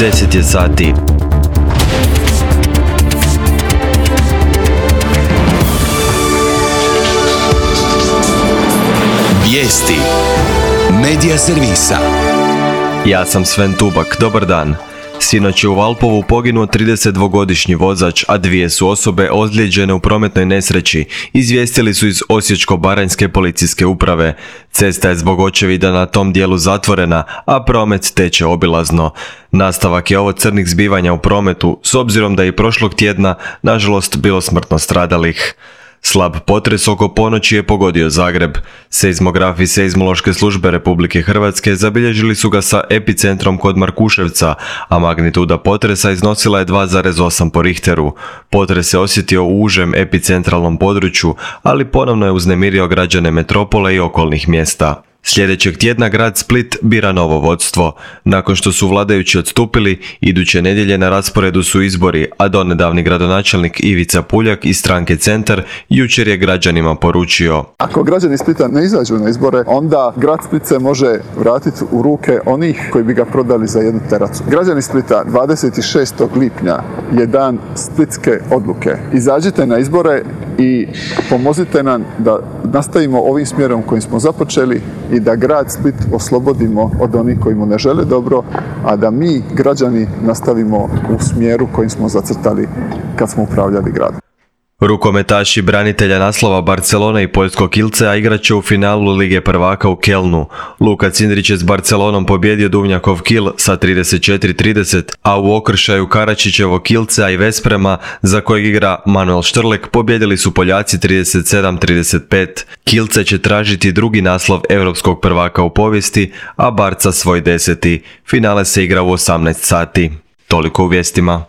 10 je sati. Vijesti Medija servisa. Ja sam Sven Tubak, dobar dan. Sinoć je u Valpovu poginuo 32-godišnji vozač, a 2 su osobe ozlijeđene u prometnoj nesreći, izvijestili su iz Osječko-baranjske policijske uprave. Cesta je zbog očevida na tom dijelu zatvorena, a promet teče obilazno. Nastavak je ovo crnih zbivanja u prometu, s obzirom da je i prošlog tjedna, nažalost, bilo smrtno stradalih. Slab potres oko ponoći je pogodio Zagreb. Seizmografi Seizmološke službe Republike Hrvatske zabilježili su ga sa epicentrom kod Markuševca, a magnituda potresa iznosila je 2,8 po Richteru. Potres se osjetio u užem epicentralnom području, ali ponovno je uznemirio građane metropole i okolnih mjesta. Sljedećeg tjedna grad Split bira novo vodstvo. Nakon što su vladajući odstupili, iduće nedjelje na rasporedu su izbori, a donedavni gradonačelnik Ivica Puljak iz stranke Centar jučer je građanima poručio: Ako građani Splita ne izađu na izbore, onda grad Split se može vratiti u ruke onih koji bi ga prodali za jednu teracu. Građani Splita, 26. lipnja je dan splitske odluke. Izađite na izbore i pomozite nam da nastavimo ovim smjerom kojim smo započeli i da grad Split oslobodimo od onih koji mu ne žele dobro, a da mi, građani, nastavimo u smjeru kojim smo zacrtali kad smo upravljali gradom. Rukometaši branitelja naslova Barcelone i poljskog Kielcea igrat će u finalu Lige prvaka u Kelnu. Luka Cindrić je s Barcelonom pobjedio Duvnjakov Kiel sa 34-30, a u okršaju Karačićevog Kielcea i Vesprema, za kojeg igra Manuel Štrlek, pobjedili su Poljaci 37-35. Kielce će tražiti drugi naslov europskog prvaka u povijesti, a Barca svoj 10. Finale se igra u 18 sati. Toliko u vijestima.